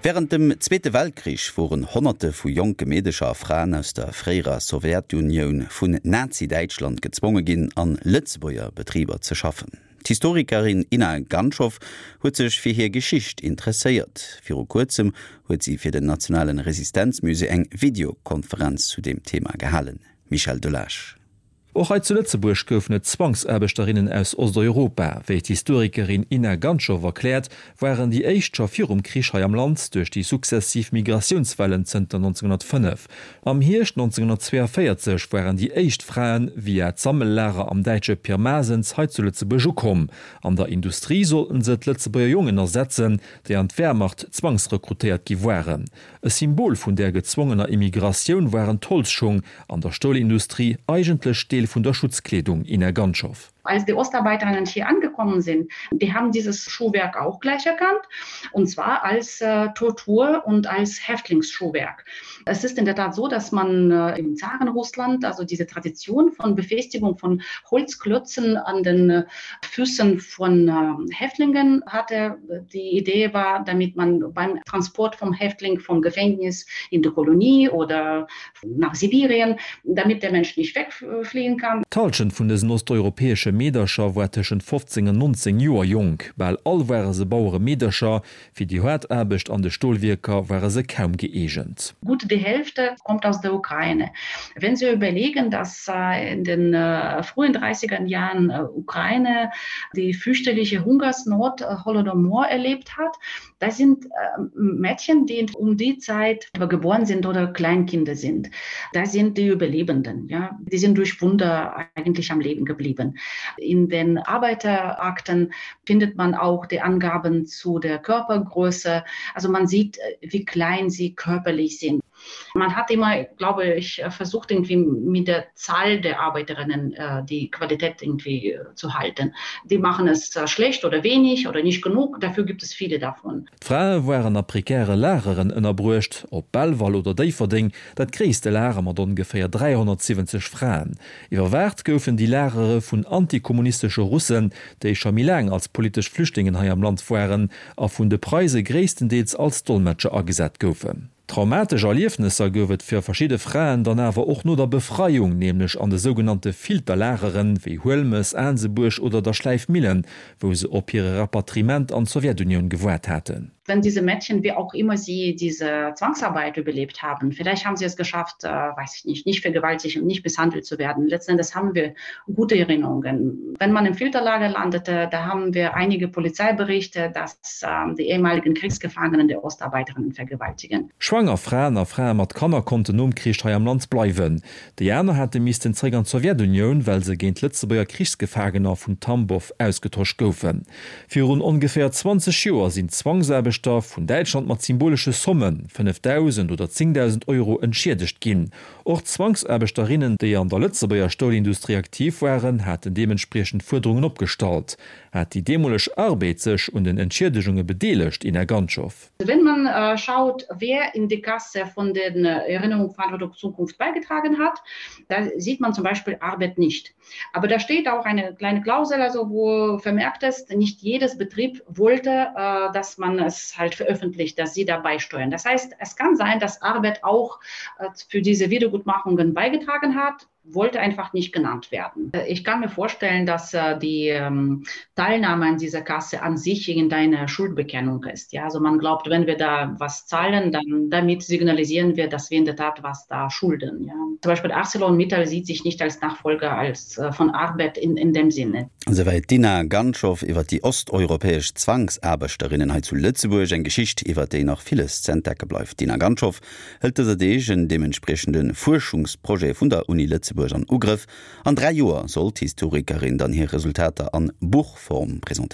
Wärend dem Zweete Weltkrich woren Honnerte vu jonke Meedecher a Fraen aus der fréierer Sowjetunioun vun Nazi-Däitschland gezwonge ginn, an Lëtzebuerger Betriber ze schaffen. D'Historikerin Inna Ganschow huet sech fir hir Geschicht interesséiert. Viru kuerzem huet si fir den Nationalen Resistenzmusée eng Videokonferenz zu deem Thema gehalen. Michel Delage. Och hei zu Lëtzebuerg goufen et Zwangsaarbechterinnen aus Osteuropa. Wéi d'Historikerin Inna Ganschow erkläert, waren déi éischt scho virum Krich hei am Land, duerch déi sukzessiv Migratiounswellen zënter 1905. Am Hierscht 1942 waren déi éischt Frae via d'Sammellager am däitsche Pirmasens hei zu Lëtzebuerg ukomm. An der Industrie sollten se d'Lëtzebuerger Jongen ersetzen, déi an d'Wehrmacht zwangsrekrutéiert gi waren. E Symbol vun där gezwongener Immigratioun waren d'Holzschung an der Stolindustrie, eigentlech Deel vun der Schutzkleedung, Ina Ganschow. Als die Ostarbeiterinnen hier angekommen sind, die haben dieses Schuhwerk auch gleich erkannt, und zwar als äh, Tortur und als Häftlingsschuhwerk. Es ist in der Tat so, dass man äh, im Zarenrussland also diese Tradition von Befestigung von Holzklötzen an den äh, Füßen von äh, Häftlingen hatte. Die Idee war, damit man beim Transport vom Häftling vom Gefängnis in die Kolonie oder nach Sibirien, damit der Mensch nicht wegfliehen kann. D'Hallschent vun dësen osteuropäesche Meedercher war tëschent 15 an 19 Joer jonk. Bal all ware se Baueremeedercher. Fir déi haart Aarbecht an de Stolwierker ware se kaum gëeegent. Gut die Hälfte kommt aus der Ukraine. Wenn Sie überlegen, dass in den frühen 30er Jahren Ukraine die fürchterliche Hungersnot Holodomor erlebt hat, das sind Mädchen, die um die Zeit geboren sind oder Kleinkinder sind. Das sind die Überlebenden. Ja? Die sind durch Wunder eigentlich am Leben geblieben. In den Arbeiterakten findet man auch die Angaben zu der Körpergröße. Also man sieht, wie klein sie körperlich sind. Man hat immer, glaube ich, versucht irgendwie mit der Zahl der Arbeiterinnen äh, die Qualität irgendwie äh, zu halten. Die machen es äh, schlecht oder wenig oder nicht genug, dafür gibt es viele davon. D'Frae waren a prekäre Lageren ënnerbruecht, op Belval oder Déifferdeng, dat gréisste Lager mat ongeféier 370 Fraen. Iwwerwaacht goufen déi Lagere vun antikommunistesche Russen, déi scho méi laang als politesch Flüchtlingen hei am Land waren a vun de Preise gréisstendeels als Dolmetscher agesat goufen. Traumatesch Erliefnesser gouf et fir verschidde Fraen dann awer och no der Befreiung, nämlech an de sougenannte Filterlageren, wéi Huelmes, Aansebuerg oder der Schläifmillen, wou se op hire Rapatriement an d'Sowjetunioun gewaart haten. Wenn diese Mädchen, wie auch immer sie diese Zwangsarbeit überlebt haben, vielleicht haben sie es geschafft, äh, weiß ich nicht, nicht vergewaltigt und nicht misshandelt zu werden. Letzten Endes haben wir gute Erinnerungen. Wenn man im Filterlager landete, da haben wir einige Polizeiberichte, dass ähm, die ehemaligen Kriegsgefangenen der Ostarbeiterinnen vergewaltigen. Schwanger Fraen a Frae mat Kanner konnten nom Krich hei am Land bleiwen. Déi aner hate missten zréck an d'Sowjetunioun, well se géint Lëtzebuerger Krichsgefaangener vun Tambow ausgetosch goufen. Virun ongeféier 20 Joer sinn d'Zwangsaarbechter vun Däitschland mat symbolesche Sommen, 5.000 oder 10.000 Euro, entschiedegt ginn. Och d'Zwangsaarbechterinnen, déi an der Lëtzebuerger Stolindustrie aktiv waren, haten deementspriechend Fuerderungen opgestallt. Hat déi deemoleg Arbed sech un den Entschiedegunge bedeelegt, Ina Ganschow? Wenn man äh, schaut, wer in die Kasse von den äh, Erinnerung Verantwortung Zukunft beigetragen hat, da sieht man zum Beispiel Arbeit nicht. Aber da steht auch eine kleine Klausel, also wo vermerkt ist, nicht jedes Betrieb wollte, äh, dass man es halt veröffentlicht, dass sie dabei steuern. Das heißt, es kann sein, dass Arbeit auch äh, für diese Wiedergutmachungen beigetragen hat, wollte einfach nicht genannt werden. Ich kann mir vorstellen, dass äh, die ähm, Teilnahme an dieser Kasse an sich irgendeine Schuldbekennung ist. Ja, also man glaubt, wenn wir da was zahlen, dann damit signalisieren wir, dass wir in der Tat was da schulden. Ja. Zum Beispiel ArcelorMittal sieht sich nicht als Nachfolger als äh, von Arbeit in, in dem Sinne. Esouwäit d'Inna Ganschow iwwer déi osteuropäesch Zwangsaarbechterinnen hei zu Lëtzebuerg. Eng Geschicht, iwwer déi nach villes ze entdecke bleift. D'Inna Ganschow hëlt dëser Deeg en deementspriechende Fuerschungsprojet vun der Uni Lëtzebuerg an Ugrëff. An 3 Joer soll d'Historikerin dann hir Resultater an Buchform presentéieren.